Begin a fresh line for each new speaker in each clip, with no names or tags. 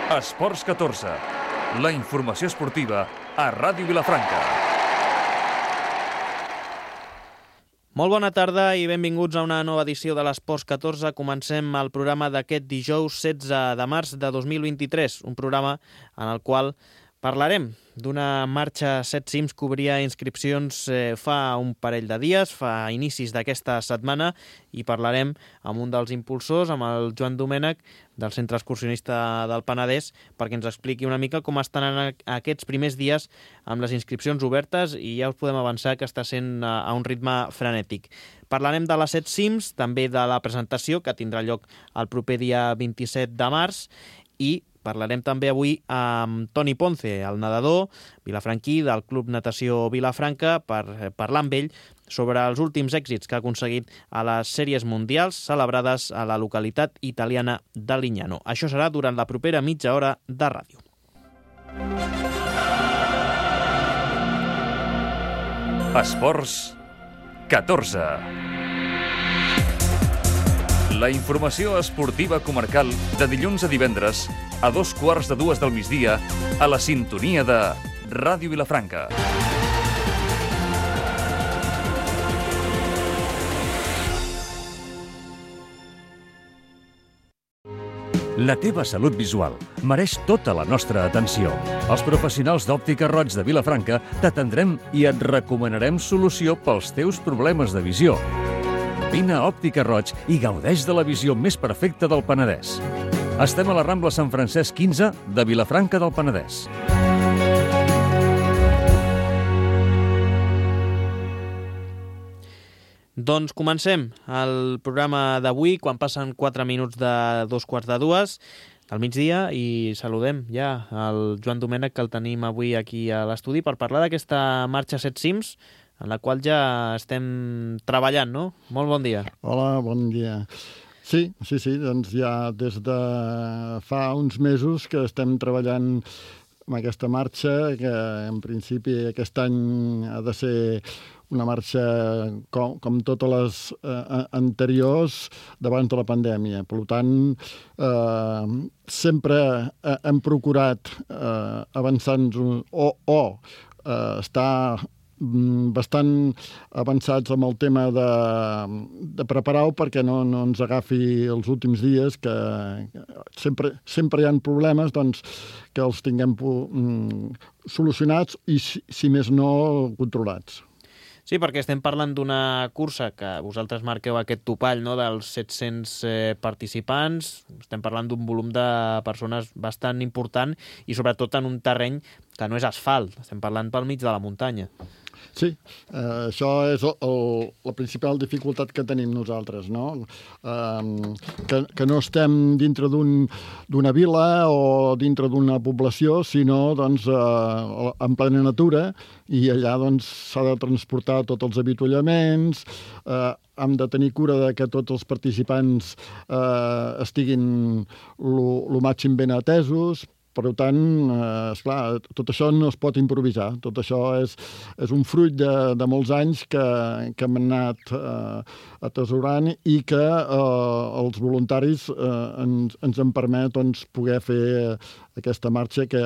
Esports 14, la informació esportiva a Ràdio Vilafranca.
Molt bona tarda i benvinguts a una nova edició de l'Esports 14. Comencem el programa d'aquest dijous 16 de març de 2023, un programa en el qual parlarem d'una marxa 7 cims que obria inscripcions fa un parell de dies, fa inicis d'aquesta setmana, i parlarem amb un dels impulsors, amb el Joan Domènech, del Centre Excursionista del Penedès, perquè ens expliqui una mica com estan aquests primers dies amb les inscripcions obertes, i ja us podem avançar que està sent a un ritme frenètic. Parlarem de les 7 cims, també de la presentació, que tindrà lloc el proper dia 27 de març, i parlarem també avui amb Toni Ponce, el nedador vilafranquí del Club Natació Vilafranca, per parlar amb ell sobre els últims èxits que ha aconseguit a les sèries mundials celebrades a la localitat italiana de Lignano. Això serà durant la propera mitja hora de ràdio.
Esports 14. La informació esportiva comarcal de dilluns a divendres a 2:15 del migdia a la sintonia de Ràdio Vilafranca. La teva salut visual mereix tota la nostra atenció. Els professionals d'Òptica Roig de Vilafranca t'atendrem i et recomanarem solució pels teus problemes de visió. Vine a Òptica Roig i gaudeix de la visió més perfecta del Penedès. Estem a la Rambla Sant Francesc 15 de Vilafranca del Penedès.
Doncs comencem el programa d'avui, quan passen 4 minuts de 2:15 al migdia, i saludem ja el Joan Domènech, que el tenim avui aquí a l'estudi per parlar d'aquesta marxa 7 cims, en la qual ja estem treballant, no? Molt bon dia.
Hola, bon dia. Sí, doncs ja des de fa uns mesos que estem treballant amb aquesta marxa, que en principi aquest any ha de ser una marxa com totes les anteriors d'abans de la pandèmia. Per tant, sempre hem procurat avançar-nos o estar bastant avançats amb el tema de preparar-ho perquè no ens agafi els últims dies, que sempre hi ha problemes, doncs que els tinguem solucionats i, si més no, controlats.
Sí, perquè estem parlant d'una cursa que vosaltres marqueu aquest topall, no?, dels 700 participants. Estem parlant d'un volum de persones bastant important i sobretot en un terreny que no és asfalt. Estem parlant pel mig de la muntanya.
Sí, això és la principal dificultat que tenim nosaltres, no? Que no estem dintre d'una vila o dintre d'una població, sinó doncs, en plena natura, i allà doncs, s'ha de transportar tots els avituallaments, hem de tenir cura de que tots els participants estiguin el màxim ben atesos. Per tant, esclar, tot això no es pot improvisar. Tot això és un fruit de molts anys que hem anat atesorant i que els voluntaris ens han permès doncs, poder fer aquesta marxa que,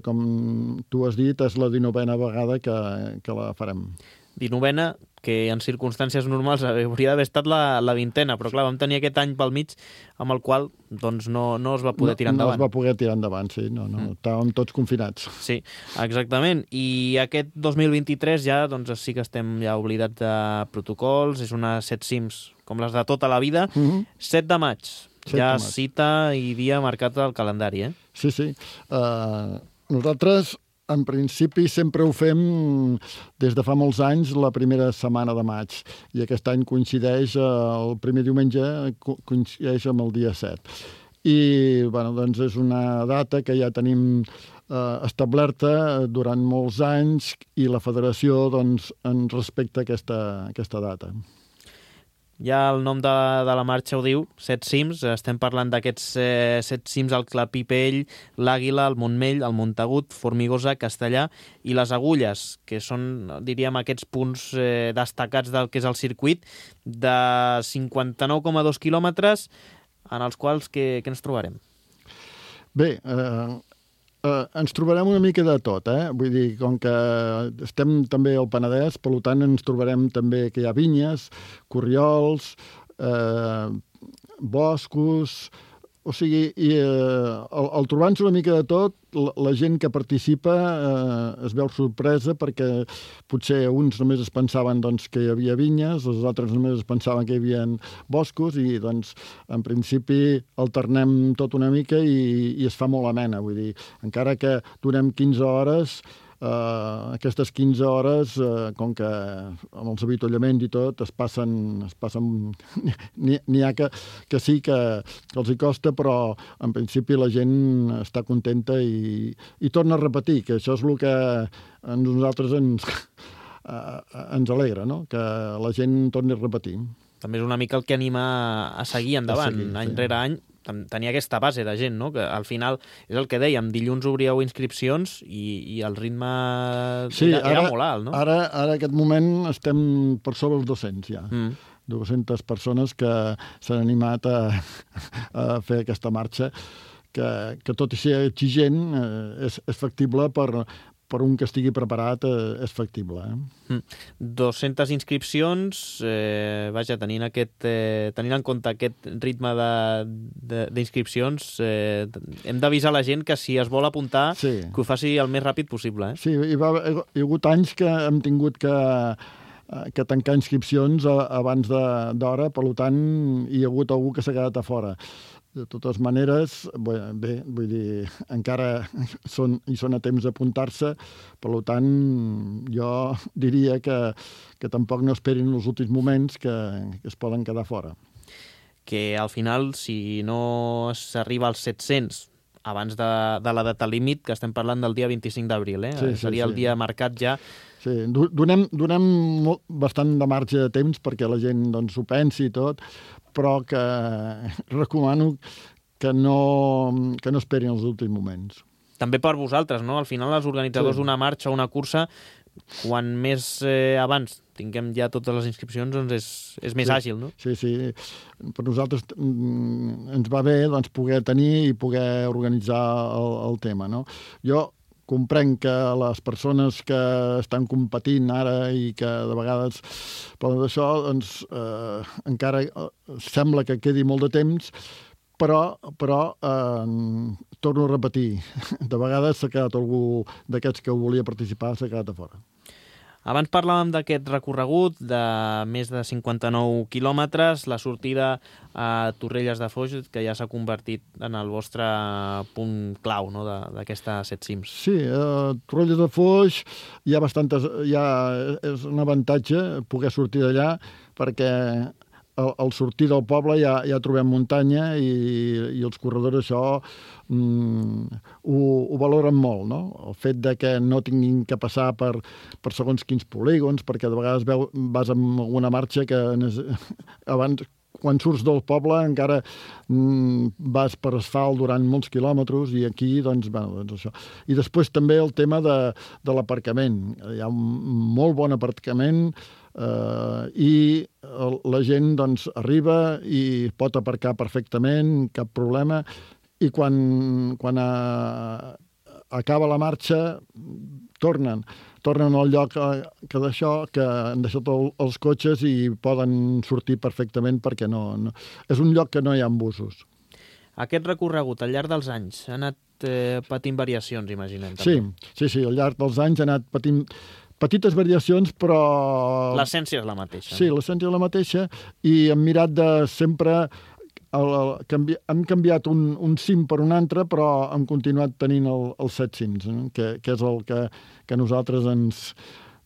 com tu has dit, és la 19a vegada que la farem.
19a, que en circumstàncies normals hauria d'haver estat la 20a, però clar, vam tenir aquest any pel mig amb el qual doncs, no es va poder tirar endavant.
No es va poder tirar endavant, sí. No. Estàvem tots confinats.
Sí, exactament. I aquest 2023 ja doncs, sí que estem ja oblidats de protocols, és una 7 cims com les de tota la vida. 7 de maig, cita i dia marcat al calendari, eh?
Sí. Nosaltres en principi sempre ho fem des de fa molts anys, la primera setmana de maig, i aquest any coincideix, el primer diumenge coincideix amb el dia 7. I doncs és una data que ja tenim establerta durant molts anys i la federació doncs, ens respecta aquesta data.
Ja el nom de la marxa ho diu, 7 cims. Estem parlant d'aquests 7 cims al Clapipell, l'Àguila, el Montmell, el Montagut, Formigosa, Castellà i les Agulles, que són, diríem, aquests punts destacats del que és el circuit, de 59,2 quilòmetres, en els quals què ens trobarem?
Bé, ens trobarem una mica de tot, Vull dir, com que estem també al Penedès, per tant ens trobarem també que hi ha vinyes, corriols, boscos, o sigui, i al trobar-nos una mica de tot, la gent que participa es veu sorpresa perquè potser uns només es pensaven doncs, que hi havia vinyes, els altres només es pensaven que hi havia boscos i doncs en principi alternem tot una mica i es fa molt amena. Vull dir, encara que donem 15 hores, aquestes 15 hores, com que amb els avituallaments i tot, es passen n'hi ha que sí que els hi costa, però en principi la gent està contenta i torna a repetir, que això és el que a nosaltres ens alegra, no? Que la gent torni a repetir.
També és una mica el que anima a seguir endavant, any rere any, tenir aquesta base de gent, no? Que al final és el que dèiem, dilluns obríeu inscripcions i el ritme era molt alt, no?
Ara, aquest moment, estem per sobre els 200 ja. 200 persones que s'han animat a fer aquesta marxa, que tot i ser exigent, és factible per un que estigui preparat, és factible.
200 inscripcions, vaja, tenint en compte aquest ritme d'inscripcions, hem d'avisar la gent que si es vol apuntar, que ho faci el més ràpid possible.
Sí, hi ha hagut anys que hem tingut que tancar inscripcions abans d'hora, per tant, hi ha hagut algú que s'ha quedat a fora. De totes maneres, bé, vull dir, encara són a temps d'apuntar-se, per tant, jo diria que tampoc no esperin els últims moments que es poden quedar fora.
Que al final, si no s'arriba als 700 abans de la data límit, que estem parlant del dia 25 d'abril, seria el dia marcat ja.
Sí, donem bastant de marge de temps perquè la gent doncs, ho pensi i tot, però que recomano que no esperin els últims moments.
També per vosaltres, no? Al final, els organitzadors d'una marxa o una cursa, quan més abans tinguem ja totes les inscripcions, doncs és més àgil, no?
Sí. Per nosaltres ens va bé doncs, poder tenir i poder organitzar el tema, no? Jo comprenc que les persones que estan competint ara i que de vegades poden d'això, doncs encara sembla que quedi molt de temps, però torno a repetir, de vegades s'ha quedat algú d'aquests que volia participar, s'ha quedat a fora.
Abans parlàvem d'aquest recorregut de més de 59 quilòmetres, la sortida a Torrelles de Foix, que ja s'ha convertit en el vostre punt clau, no?, d'aquesta 7 cims.
Sí, a Torrelles de Foix és un avantatge poder sortir d'allà, perquè al sortir del poble ja trobem muntanya i els corredors això ho valoren molt, no? El fet de que no tinguin que passar per segons quins polígons, perquè de vegades vas amb alguna marxa que abans, quan surts del poble, encara vas per asfalt durant molts quilòmetres i aquí, doncs això. I després també el tema de l'aparcament. Hi ha un molt bon aparcament i la gent doncs, arriba i pot aparcar perfectament, cap problema, i quan acaba la marxa tornen al lloc que han deixat els cotxes i poden sortir perfectament perquè no és un lloc que no hi ha busos.
Aquest recorregut al llarg dels anys ha anat patint variacions, imaginem.
Sí, al llarg dels anys ha anat patint petites variacions, però...
L'essència és la mateixa.
Sí, l'essència és la mateixa i hem mirat de sempre... hem canviat un cim per un altre, però hem continuat tenint els 7 cims, que és el que a nosaltres ens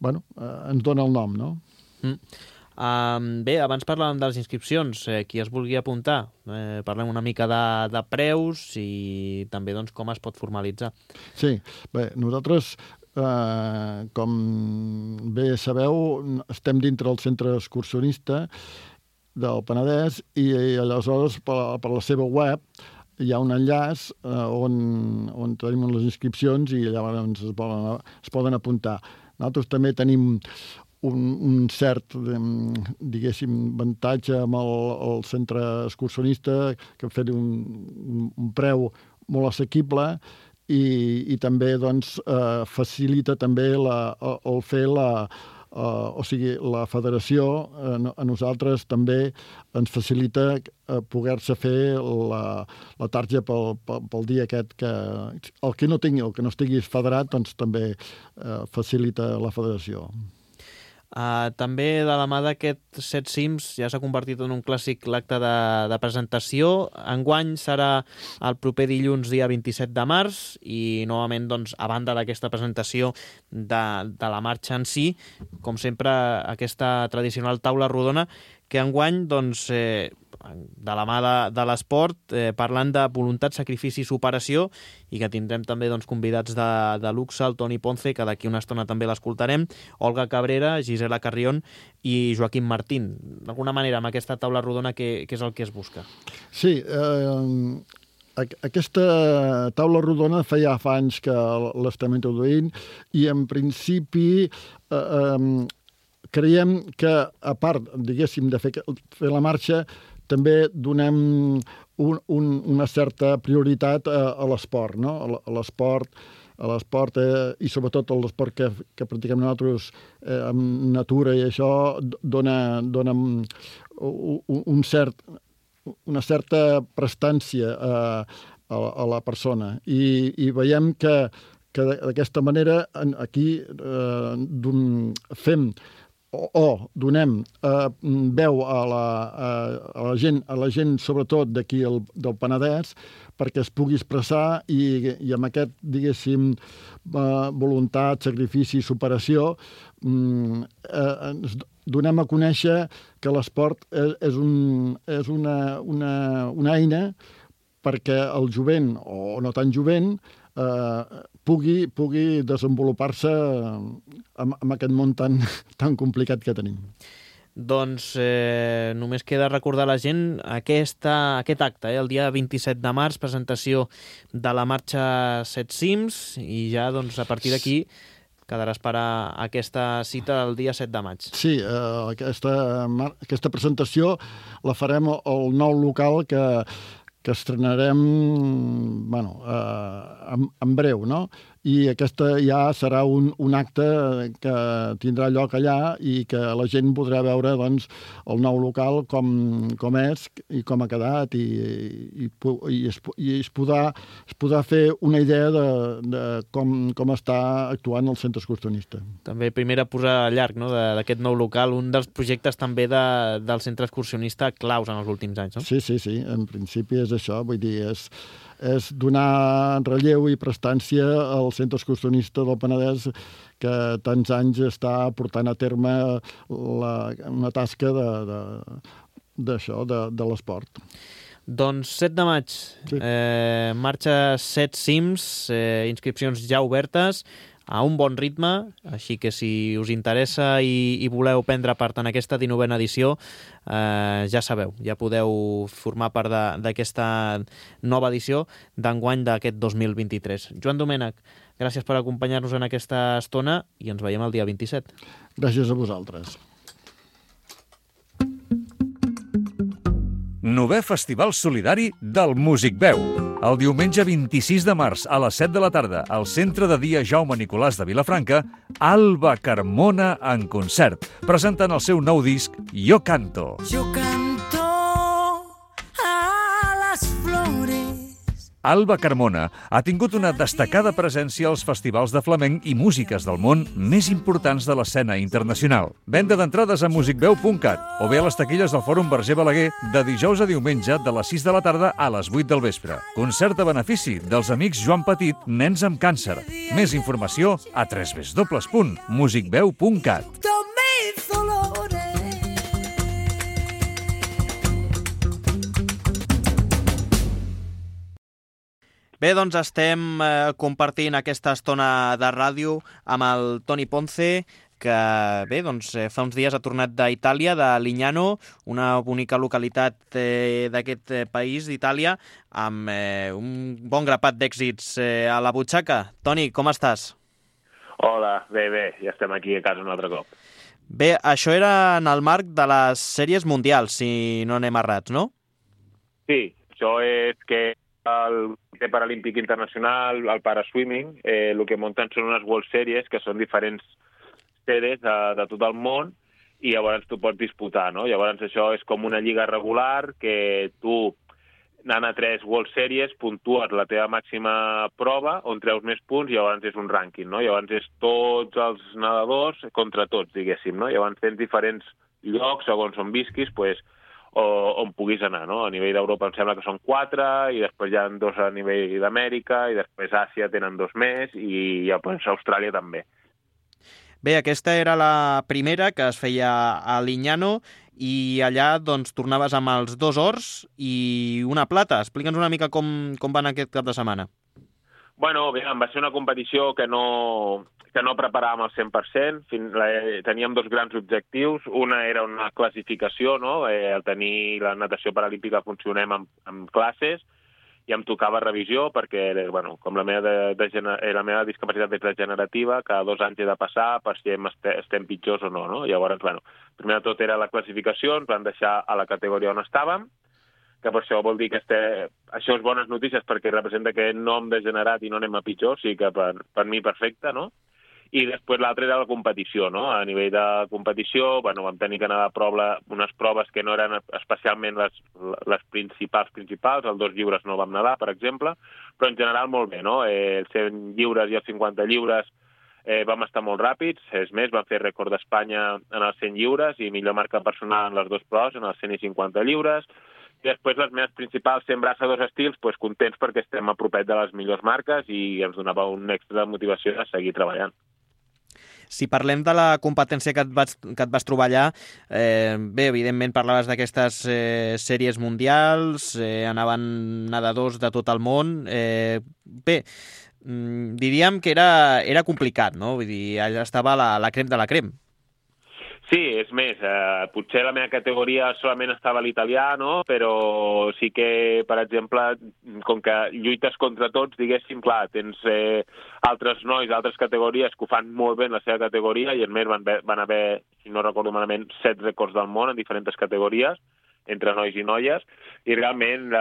dona el nom, no?
Bé, abans parlàvem de les inscripcions. Qui es vulgui apuntar, parlem una mica de preus i també doncs, com es pot formalitzar.
Sí, bé, nosaltres... com bé sabeu, estem dintre del centre excursionista del Penedès i aleshores per la seva web hi ha un enllaç on tenim les inscripcions i llavors es poden apuntar. Nosaltres també tenim un cert, diguéssim, avantatge amb el centre excursionista, que hem fet un preu molt assequible i també doncs, facilita també el fer o sigui, la federació a nosaltres també ens facilita poder-se fer la tarja pel dia aquest que el que no estiguis federat doncs també facilita la federació.
També de la mà d'aquest Set Cims ja s'ha convertit en un clàssic l'acte de presentació. Enguany serà el proper dilluns, dia 27 de març, i novament, doncs, a banda d'aquesta presentació de la marxa en si, com sempre, aquesta tradicional taula rodona, que enguany, doncs, de la mà de l'esport, parlant de voluntat, sacrifici i superació, i que tindrem també doncs, convidats de luxe, el Toni Ponce, que d'aquí una estona també l'escoltarem, Olga Cabrera, Gisela Carrión i Joaquim Martín. D'alguna manera, amb aquesta taula rodona, què és el que es busca?
Sí, aquesta taula rodona feia fa anys que l'estem introduint i, en principi, creiem que, a part, diguéssim, de fer la marxa, també donem una certa prioritat a l'esport, no? A l'esport i sobretot a l'esport que practiquem nosaltres amb natura i això dona una certa prestància a la persona. I veiem que d'aquesta manera aquí fem o donem veu a la gent sobretot d'aquí del Penedès, perquè es pugui expressar i amb aquest, diguéssim, voluntat, sacrifici i superació ens donem a conèixer que l'esport és una eina perquè el jovent, o no tan jovent, pugui desenvolupar-se en aquest món tan complicat que tenim.
Doncs només queda recordar a la gent aquest acte, el dia 27 de març, presentació de la marxa Set Cims, i ja doncs, a partir d'aquí quedarà a esperar aquesta cita del dia 7 de maig.
Sí, aquesta presentació la farem al nou local que estrenarem en breu, no? I aquesta ja serà un acte que tindrà lloc allà i que la gent podrà veure doncs, el nou local com és i com ha quedat i es podrà fer una idea de com està actuant el centre excursionista.
També primera posar a llarg, no?, d'aquest nou local, un dels projectes també del centre excursionista claus en els últims anys, no?
Sí, en principi és això, vull dir, és donar relleu i prestància al centre excursionista del Penedès que tants anys està portant a terme una tasca de l'esport.
Doncs 7 de maig, sí. Marxa Set Cims, inscripcions ja obertes, a un bon ritme, així que si us interessa i voleu prendre part en aquesta 19a edició, ja sabeu, ja podeu formar part d'aquesta nova edició d'enguany d'aquest 2023. Joan Domènech, gràcies per acompanyar-nos en aquesta estona i ens veiem el dia 27.
Gràcies a vosaltres.
9è Festival Solidari del Músic Veu. El diumenge 26 de març a les 7 de la tarda al Centre de Dia Jaume Nicolàs de Vilafranca, Alba Carmona en concert, presentant el seu nou disc Jo canto.
Yo canto a las flores.
Alba Carmona ha tingut una destacada presència als festivals de flamenc i músiques del món més importants de l'escena internacional. Venda d'entrades a musicveu.cat o bé a les taquilles del Fòrum Verger Balaguer de dijous a diumenge de les 6 de la tarda a les 8 del vespre. Concert a benefici dels amics Joan Petit, Nens amb Càncer. Més informació a www.musicveu.cat.
Bé, doncs estem compartint aquesta estona de ràdio amb el Toni Ponce, que bé, doncs, fa uns dies ha tornat d'Itàlia, de Lignano, una bonica localitat d'aquest país, d'Itàlia, amb un bon grapat d'èxits a la butxaca. Toni, com estàs?
Hola, bé, ja estem aquí a casa un altre cop.
Bé, això era en el marc de les sèries mundials, si no anem errats, no?
Sí, això és que el Comitè Paralímpic Internacional, el Paraswimming, el que munten són unes World Series, que són diferents sedes de tot el món, i llavors tu pots disputar, no? Llavors això és com una lliga regular que tu, anant a 3 World Series, puntues la teva màxima prova, on treus més punts, i llavors és un rànquing, no? Llavors és tots els nedadors contra tots, diguéssim, no? Llavors tens diferents llocs, segons on visquis, pues, on puguis anar, no? A nivell d'Europa em sembla que són 4, i després hi ha 2 a nivell d'Amèrica, i després a Àsia tenen 2 més, i pues, a Austràlia també.
Bé, aquesta era la primera que es feia a Lignano i allà doncs, tornaves amb els 2 ors i una plata. Explica'ns una mica com va anar aquest cap de setmana.
Bueno, bé, va ser una competició que no preparàvem al 100%. Teníem 2 grans objectius. Una era una classificació, no? El tenir la natació paralímpica funcionem amb classes, i em tocava revisió perquè, bueno, com la meva discapacitat és degenerativa, cada 2 anys he de passar per si estem pitjors o no, no? Llavors, bueno, primer de tot era la classificació, ens van deixar a la categoria on estàvem, que per això vol dir que això és bones notícies perquè representa que no hem degenerat i no anem a pitjor, o sigui que per mi perfecte, no? I després l'altre era la competició, no? A nivell de competició, bueno, vam tenir que anar a unes proves que no eren especialment les principals, el 2 lliures no vam nedar, per exemple, però en general molt bé, no? Els 100 lliures i els 50 lliures vam estar molt ràpids, és més, vam fer rècord d'Espanya en els 100 lliures i millor marca personal en les 2 proves, en els 100 i 50 lliures. I després les meves principals 100 braça 2 estils, doncs contents perquè estem a propet de les millors marques i ens donava un extra de motivació de seguir treballant.
Si parlem de la competència que et vas trobar allà, bé, evidentment parlaves d'aquestes sèries mundials, anaven nedadors de tot el món. Bé, diríem que era complicat, no? Vull dir, allà estava la crem de la crem.
Sí, és més, potser la meva categoria solament estava l'italià, no? Però sí que, per exemple, com que lluites contra tots, diguéssim, clar, tens altres nois d'altres categories que ho fan molt bé en la seva categoria i, a més, van haver, si no recordo malament, 7 rècords del món en diferents categories, entre nois i noies, i realment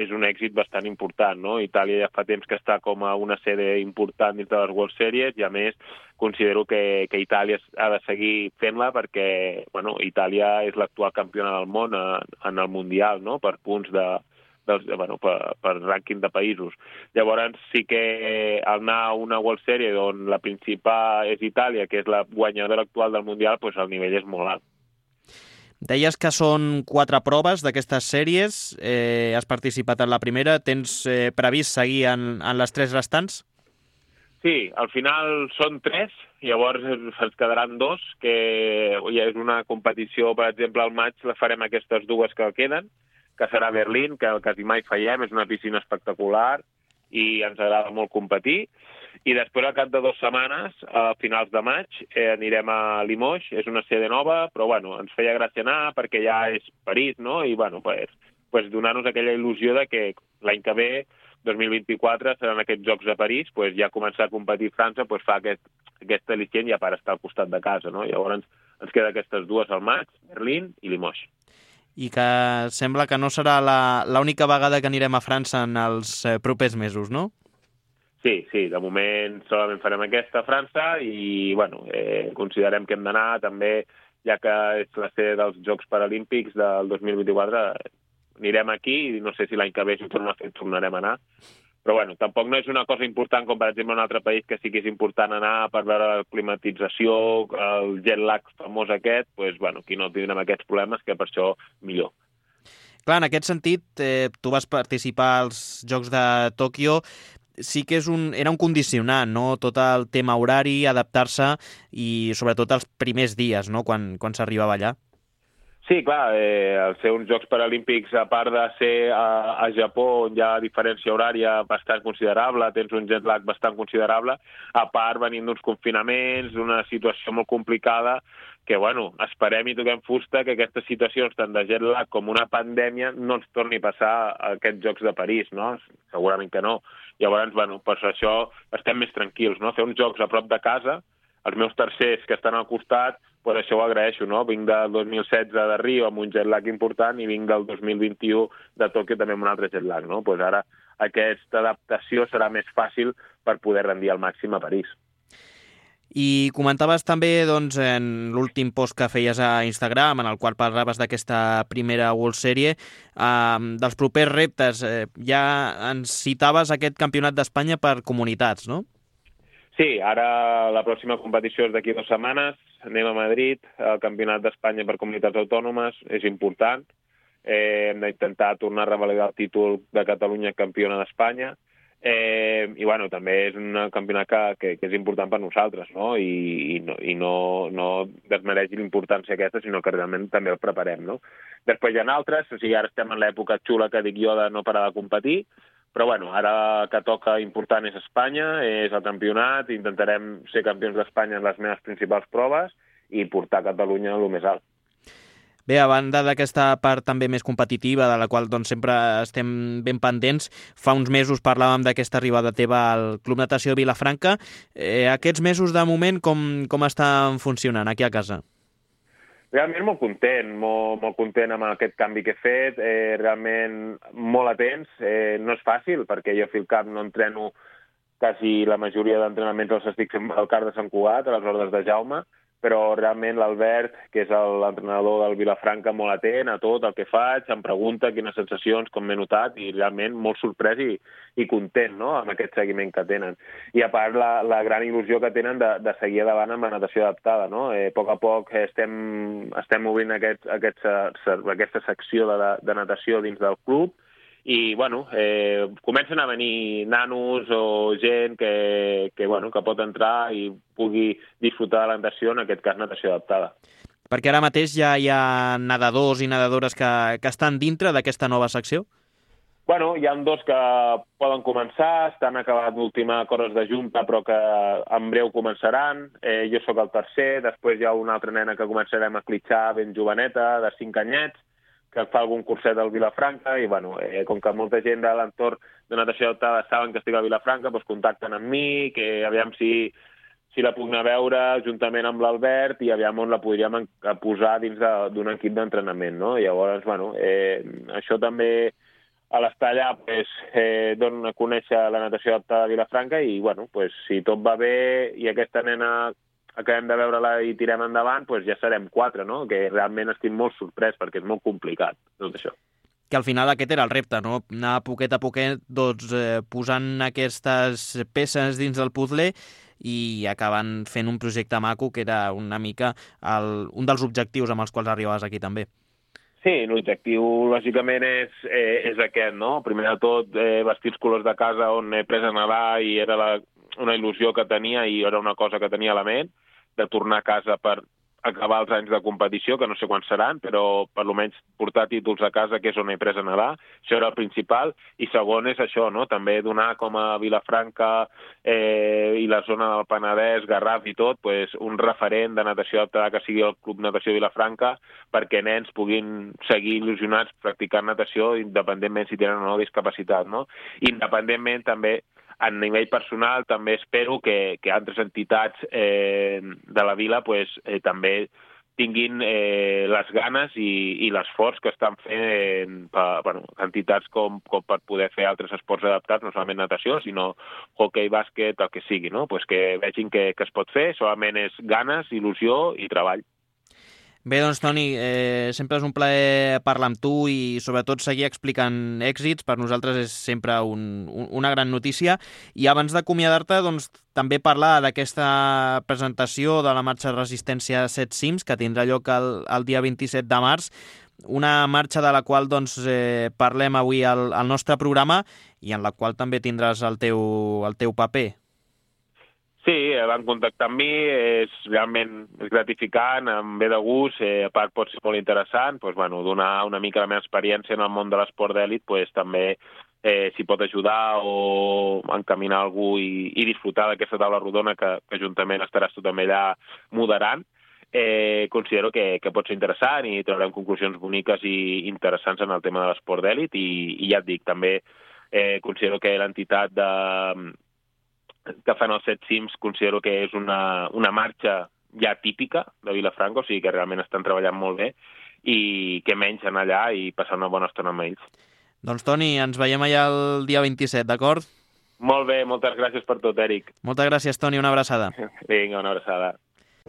és un èxit bastant important, no? Itàlia ja fa temps que està com a una sede important dins de les World Series i, a més, considero que Itàlia ha de seguir fent-la perquè, bueno, Itàlia és l'actual campiona del món en el Mundial, no? Per punts per rànquing de països. Llavors, sí que al anar a una World Series on la principal és Itàlia, que és la guanyadora actual del Mundial, doncs el nivell és molt alt.
Deies que són 4 proves d'aquestes sèries, has participat en la primera, tens previst seguir en les 3 restants?
Sí, al final són 3, llavors ens quedaran 2, que ja és una competició, per exemple, al maig la farem aquestes 2 que queden, que serà a Berlín, que quasi mai fallem, és una piscina espectacular i ens agrada molt competir. I després, al cap de 2 setmanes, a finals de maig, anirem a Limoges. És una sede nova, però bueno, ens feia gràcia anar perquè ja és París, no? I bueno, pues donar-nos aquella il·lusió de que l'any que ve, 2024, seran aquests Jocs de París, pues ja començar a competir a França, pues fa aquest al·licient ja per estar al costat de casa, no? Llavors ens queda aquestes 2 al maig, Berlín i Limoges.
I que sembla que no serà l'única vegada que anirem a França en els propers mesos, no?
Sí, de moment solament farem aquesta a França i, bueno, considerem que hem d'anar també, ja que és la sede dels Jocs Paralímpics del 2024, anirem aquí i no sé si l'any que ve si tornarem a anar. Però, bueno, tampoc no és una cosa important com, per exemple, un altre país que sí que és important anar per veure la climatització, el jet lag famós aquest, doncs, bueno, aquí no tindrem aquests problemes, que per això millor.
Clar, en aquest sentit, tu vas participar als Jocs de Tòquio, sí que era un condicionant, no? Tot el tema horari, adaptar-se i sobretot els primers dies, no? Quan s'arribava allà.
Sí, clar, al ser uns Jocs Paralímpics, a part de ser a Japó, on hi ha diferència horària bastant considerable, tens un jet lag bastant considerable, a part venint d'uns confinaments, d'una situació molt complicada, que, bueno, esperem i toquem fusta que aquestes situacions, tant de jet lag com una pandèmia, no ens torni a passar a aquests Jocs de París, no? Segurament que no. Llavors, bueno, per això estem més tranquils, no? Fer uns jocs a prop de casa, els meus tercers que estan al costat, doncs això ho agraeixo, no? Vinc del 2016 de Rio amb un jet lag important i vinc del 2021 de Tòquio també amb un altre jet lag, no? Doncs ara aquesta adaptació serà més fàcil per poder rendir al màxim a París.
I comentaves també doncs, en l'últim post que feies a Instagram, en el qual parlaves d'aquesta primera World Series, dels propers reptes. Ja ens citaves aquest campionat d'Espanya per comunitats, no?
Sí, ara la pròxima competició és d'aquí 2 setmanes. Anem a Madrid, el campionat d'Espanya per comunitats autònomes, és important. Hem d'intentar tornar a revalidar el títol de Catalunya campiona d'Espanya. I bueno, també és un campionat que és important per nosaltres, no? I no desmereixi l'importància aquesta, sinó que realment també el preparem, no? Després hi ha altres, o sigui, ara estem en l'època xula que dic jo de no parar de competir, però bueno, ara que toca important és Espanya, és el campionat, intentarem ser campions d'Espanya en les meves principals proves i portar Catalunya a lo més alt.
Bé, a banda d'aquesta part també més competitiva, de la qual doncs, sempre estem ben pendents, fa uns mesos parlàvem d'aquesta arribada teva al Club Natació de Vilafranca. Aquests mesos, de moment, com estan funcionant aquí a casa?
Realment molt content amb aquest canvi que he fet, realment molt atents. No és fàcil, perquè jo al camp no entreno, quasi la majoria d'entrenaments els estic fent al CAR de Sant Cugat, a les ordres de Jaume, però realment l'Albert, que és l'entrenador del Vilafranca, molt atent a tot el que faig, em pregunta quines sensacions, com m'he notat, i realment molt sorprès i content, no?, amb aquest seguiment que tenen. I a part la gran il·lusió que tenen de seguir endavant amb la natació adaptada, no? A poc estem obrint aquesta secció de natació dins del club, i, bueno, comencen a venir nanos o gent que pot entrar i pugui disfrutar de la natació, en aquest cas natació adaptada.
Perquè ara mateix ja hi ha nedadors i nedadores que estan dintre d'aquesta nova secció?
Bueno, hi ha 2 que poden començar, estan acabant l'última Corres de Junta, però que en breu començaran. Jo sóc el tercer, després hi ha una altra nena que començarem a clitxar ben joveneta, de 5 anyets, que fa algun curset al Vilafranca, i bueno, com que molta gent de l'entorn de natació adaptada saben que estic a Vilafranca, doncs contacten amb mi, que aviam si la puc anar a veure juntament amb l'Albert i aviam on la podríem posar dins d'un equip d'entrenament, no? Llavors, bueno, això també a l'estar allà dona a conèixer la natació adaptada a Vilafranca i, bueno, si tot va bé i aquesta nena acabem de veure-la i tirem endavant, doncs ja serem 4, no? Que realment estic molt sorprès, perquè és molt complicat, tot això.
Que al final aquest era el repte, no? Anar poquet a poquet doncs, posant aquestes peces dins del puzzle i acabant fent un projecte maco, que era una mica un dels objectius amb els quals arribaves aquí també.
Sí, l'objectiu, lògicament, és aquest, no? Primer de tot, vestir els colors de casa on he pres a nedar i era una il·lusió que tenia i era una cosa que tenia a la ment, de tornar a casa per acabar els anys de competició, que no sé quan seran, però per almenys portar títols a casa, que és on he pres a nedar. Això era el principal. I segon és això, no? També donar com a Vilafranca i la zona del Penedès, Garraf i tot, un referent de natació adaptada que sigui el Club Natació Vilafranca, perquè nens puguin seguir il·lusionats practicant natació, independentment si tenen o no discapacitat, no? Independentment també, a nivell personal, també espero que altres entitats de la vila també tinguin les ganes i l'esforç que estan fent entitats com per poder fer altres esports adaptats, no solament natació, sinó hoquei, bàsquet, el que sigui, no? Que vegin que es pot fer, solament és ganes, il·lusió i treball.
Bé, doncs, Toni, sempre és un plaer parlar amb tu i, sobretot, seguir explicant èxits. Per nosaltres és sempre una gran notícia. I abans d'acomiadar-te, doncs, també parlar d'aquesta presentació de la marxa de resistència 7 cims, que tindrà lloc el dia 27 de març, una marxa de la qual doncs, parlem avui al nostre programa i en la qual també tindràs el teu paper.
Sí, van contactar amb mi, és realment gratificant, em ve de gust, a part pot ser molt interessant, donar una mica la meva experiència en el món de l'esport d'èlit, també s'hi pot ajudar o encaminar algú i disfrutar d'aquesta taula rodona que juntament estaràs tu també allà moderant. Considero que pot ser interessant i traurem conclusions boniques i interessants en el tema de l'esport d'èlit i ja et dic, també considero que l'entitat que fan els 7 cims considero que és una marxa ja típica de Vilafranca, o sigui que realment estan treballant molt bé i que menys anar allà i passar una bona estona amb ells.
Doncs, Toni, ens veiem allà el dia 27, d'acord?
Molt bé, moltes gràcies per tot, Eric.
Moltes gràcies, Toni, una abraçada.
Vinga, una abraçada.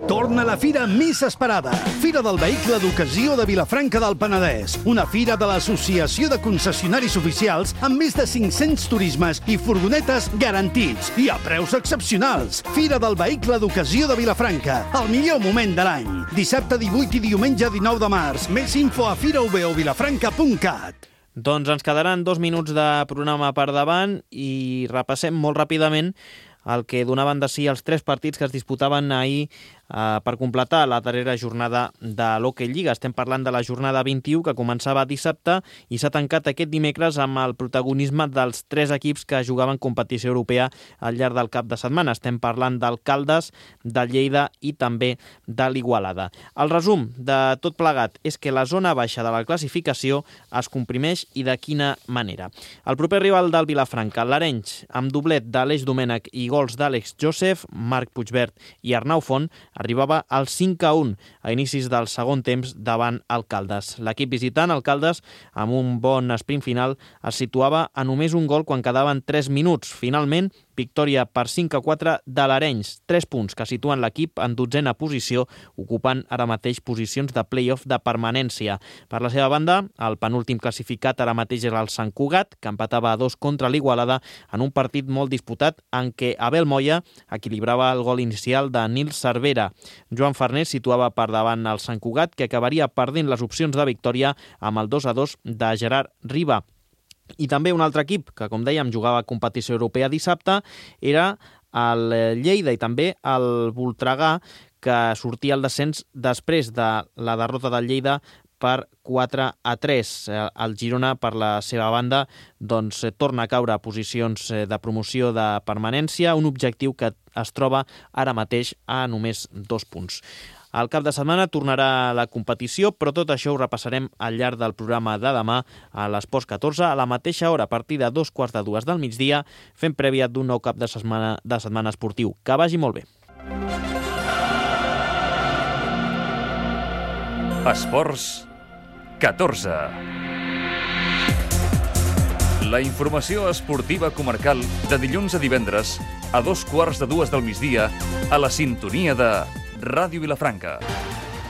Torna la fira més esperada. Fira del Vehicle d'Ocasió de Vilafranca del Penedès. Una fira de l'Associació de Concessionaris Oficials amb més de 500 turismes i furgonetes garantits i a preus excepcionals. Fira del Vehicle d'Ocasió de Vilafranca. El millor moment de l'any. Dissabte 18 i diumenge 19 de març. Més info a firaovilafranca.cat.
Doncs ens quedaran 2 minuts de programa per davant i repassem molt ràpidament el que donaven de si els 3 partits que es disputaven ahir per completar la darrera jornada de l'Hockey Lliga. Estem parlant de la jornada 21, que començava dissabte i s'ha tancat aquest dimecres amb el protagonisme dels 3 equips que jugaven competició europea al llarg del cap de setmana. Estem parlant del Caldes, del Lleida i també de l'Igualada. El resum de tot plegat és que la zona baixa de la classificació es comprimeix i de quina manera. El proper rival del Vilafranca, l'Arenys, amb doblet d'Aleix Domènech i gols d'Àlex Joseph, Marc Puigbert i Arnau Font, arribava al 5-1 a inicis del segon temps davant el Caldes. L'equip visitant, el Caldes, amb un bon sprint final, es situava a només un gol quan quedaven 3 minuts. Finalment, victòria per 5-4 de l'Arenys, 3 punts que situen l'equip en 12a posició, ocupant ara mateix posicions de play-off de permanència. Per la seva banda, el penúltim classificat ara mateix era el Sant Cugat, que empatava a 2 contra l'Igualada en un partit molt disputat en què Abel Moya equilibrava el gol inicial de Nils Cervera. Joan Farnés situava per davant el Sant Cugat, que acabaria perdent les opcions de victòria amb el 2-2 de Gerard Riba. I també un altre equip que, com dèiem, jugava a competició europea dissabte era el Lleida i també el Voltregà, que sortia al descens després de la derrota del Lleida per 4-3. El Girona, per la seva banda, doncs, torna a caure a posicions de promoció de permanència, un objectiu que es troba ara mateix a només 2 punts. Al cap de setmana tornarà la competició, però tot això ho repassarem al llarg del programa de demà a l'Esports 14, a la mateixa hora, a partir de 2:45 del migdia, fent prèvia d'un nou cap de setmana esportiu. Que vagi molt bé.
Esports 14. La informació esportiva comarcal de dilluns a divendres a 2:15 del migdia a la sintonia de Ràdio Vilafranca.